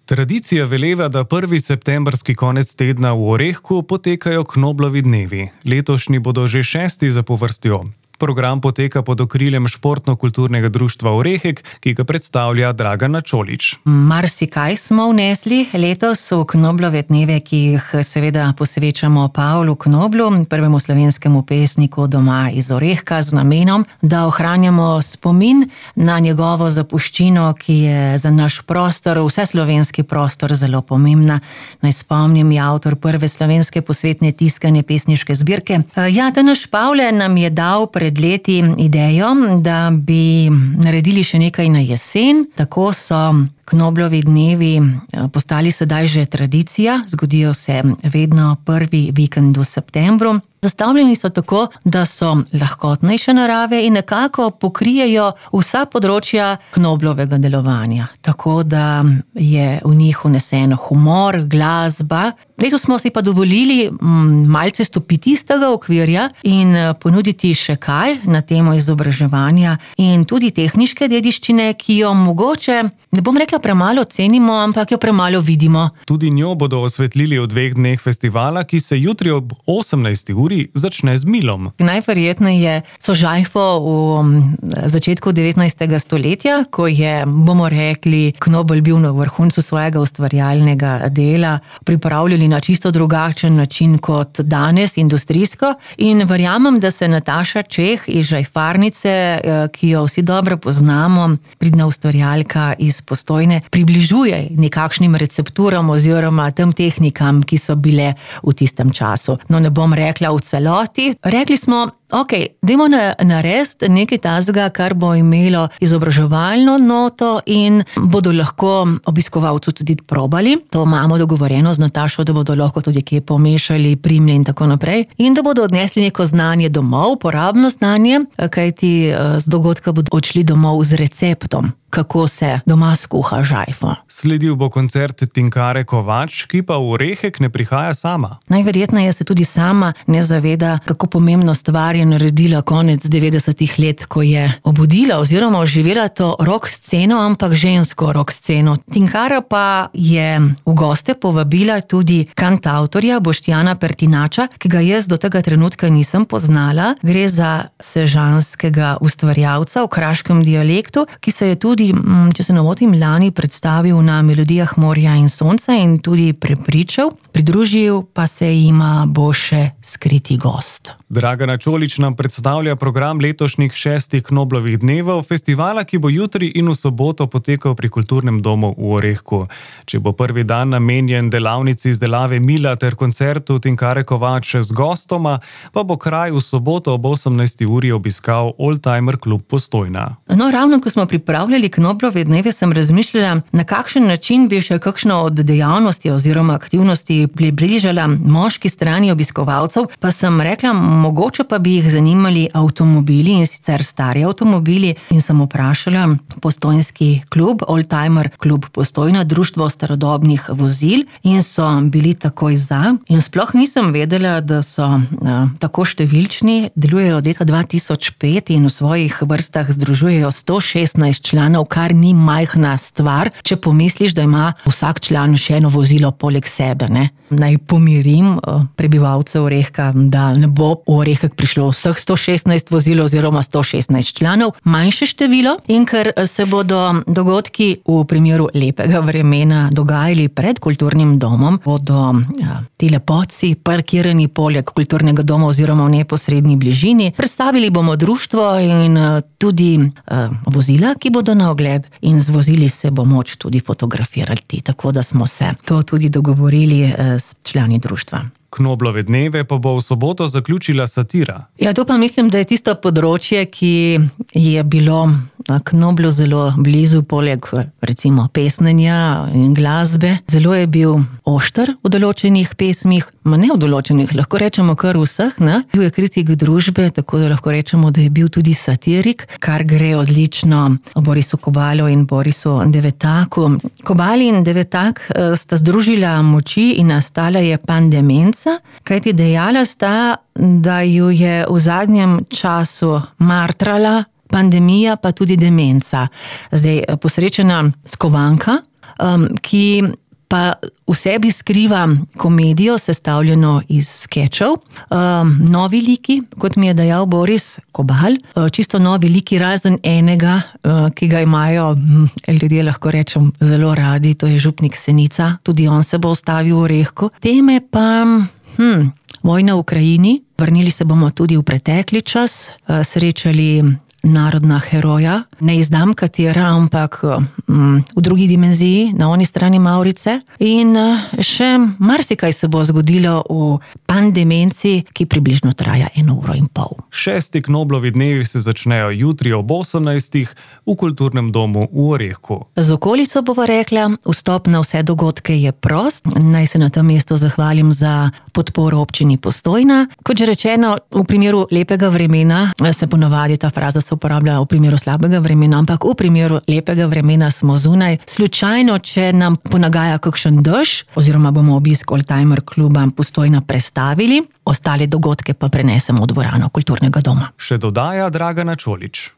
Tradicija veleva, da 1. septembrski konec tedna v Orehku potekajo Knoblovi dnevi. Letošnji bodo že 6. zapovrstjo. Program poteka pod okriljem Športno-kulturnega društva Orehek, ki ga predstavlja Dragana Čolić. Marsikaj smo vnesli letos v Knoblove dneve, ki jih seveda posvečamo Pavlu Knoblu, prvemu slovenskemu pesniku doma iz Orehka, z namenom, da ohranjamo spomin na njegovo zapuščino, ki je za naš prostor, vseslovenski prostor, zelo pomembna. Naj spomnim, je avtor prve slovenske posvetne tiskane pesniške zbirke. Naš Pavle nam je dal pred leti idejo, da bi naredili še nekaj na jesen. Tako so Knoblovi dnevi postali sedaj že tradicija, zgodijo se vedno prvi vikend v septembru. Zastavljeni so tako, da so lahkotnejše narave in nekako pokrijejo vsa področja Knoblovega delovanja. Tako da je v njih vneseno humor, glasba. Letos smo si pa dovolili malce stopiti iz tega okvirja in ponuditi še kaj na temo izobraževanja in tudi tehniške dediščine, ki jo mogoče, ne bom rekla premalo cenimo, ampak jo premalo vidimo. Tudi njo bodo osvetlili v 2 dneh festivala, ki se jutri ob 18. uri začne z milom. Najverjetneje so Žajfo v začetku 19. stoletja, ko je, bomo rekli, Knobel bil na vrhuncu svojega ustvarjalnega dela, pripravljali na čisto drugačen način kot danes, industrijsko, in verjamem, da se Nataša Čeh iz Žajfarnice, ki jo vsi dobro poznamo, pridna ustvarjalka iz Postojne, približuje nekakšnim recepturam oziroma tem tehnikam, ki so bile v tistem času. No, ne bom rekla v celoti. Rekli smo, dajmo narediti nekaj tazga, kar bo imelo izobraževalno noto in bodo lahko obiskovalci tudi probali. To imamo dogovorjeno z Natašo, da bodo lahko tudi kje pomešali, primlje in tako naprej. In da bodo odnesli neko znanje domov, uporabno znanje, kajti z dogodka bodo odšli domov z receptom, kako se doma skuha žajfo. Sledil bo koncert Tinkare Kovač, ki pa v Orehek ne prihaja sama. Najverjetneje se tudi sama ne zaveda, kako pomembno stvar je naredila konec 90-ih let, ko je obudila oziroma oživela to rock sceno, ampak žensko rock sceno. Tinkara pa je v goste povabila tudi kantavtorja Boštjana Pertinača, ki ga jaz do tega trenutka nisem poznala. Gre za sežanskega ustvarjalca v kraškem dialektu, ki se je tudi, če se ne motim, lani predstavil na Melodijah morja in sonca in tudi prepričal. Pridružil pa se jima bo še skriti gost. Dragana Čolić nam predstavlja program letošnjih 6. Knoblovih dnevov, festivala, ki bo jutri in v soboto potekal pri Kulturnem domu v Orehku. Če bo prvi dan namenjen delavnici izdelave mila ter koncertu Tinkare Kovač z gostoma, pa bo kraj v soboto ob 18. uri obiskal Oldtimer klub Postojna. No, ravno ko smo pripravljali Knoblove dneve, sem razmišljala, na kakšen način bi še kakšno od dejavnosti oziroma aktivnosti približala moški strani obiskovalcev, pa sem rekla, mogoče pa bi jih zanimali avtomobili, in sicer stari avtomobili, in sem vprašala postojnski klub, Oldtimer klub Postojna, društvo starodobnih vozil, in so bili takoj za. In sploh nisem vedela, da so tako številčni, delujejo od leta 2005 in v svojih vrstah združujejo 116 članov, kar ni majhna stvar, če pomisliš, da ima vsak član še eno vozilo poleg sebe, ne? Naj pomirim prebivalce Orehka, da ne bo v Orehek prišlo vseh 116 vozil oziroma 116 članov, manjše število, in ker se bodo dogodki v primeru lepega vremena dogajali pred Kulturnim domom, bodo ti lepotci parkirani poleg Kulturnega doma oziroma v neposredni bližini. Predstavili bomo društvo in tudi vozila, ki bodo na ogled, in z vozili se bo moč tudi fotografirati, tako da smo se to tudi dogovorili s člani društva. Knoblove dneve pa bo v soboto zaključila satira. Ja, to pa mislim, da je tisto področje, ki je bilo Knoblu zelo blizu, poleg recimo pesnenja in glasbe. Zelo je bil ošter v določenih pesmih, ne v določenih, lahko rečemo kar vseh, ne? Bil je kritik družbe, tako da lahko rečemo, da je bil tudi satirik, kar gre odlično Borisu Kobalu in Borisu Devetaku. Kobal in Devetak sta združila moči in nastala je Pandemenca, kajti dejala sta, da ju je v zadnjem času martrala pandemija, pa tudi demenca. Zdaj, posrečena skovanka ki pa v sebi skriva komedijo, sestavljeno iz skečev. Novi liki, kot mi je dejal Boris Kobal, čisto novi liki, razen enega, ki ga imajo ljudje, lahko rečem, zelo radi, to je župnik Senica, tudi on se bo ustavil v Orehku. Teme pa vojna v Ukrajini, vrnili se bomo tudi v pretekli čas, srečali narodna heroja, ne izdam katera, ampak v drugi dimenziji, na oni strani Mavrice. In še marsikaj se bo zgodilo v pandemenci, ki približno traja 1,5 ure. 6. Knoblovi dnevi se začnejo jutri ob 18. v Kulturnem domu v Orehku. Z okolico bova rekla, vstop na vse dogodke je prost. Naj se na tem mestu zahvalim za podporo občini Postojna. Kot že rečeno, v primeru lepega vremena se ponavadi ta fraza se uporablja v primeru slabega vremena, ampak v primeru lepega vremena smo zunaj. Slučajno, če nam ponagaja kakšen dež, oziroma bomo obisk Oldtimer kluba Postojna prestavili, ostale dogodke pa prenesemo v dvorano Kulturnega doma. Še dodaja Dragana Čolić.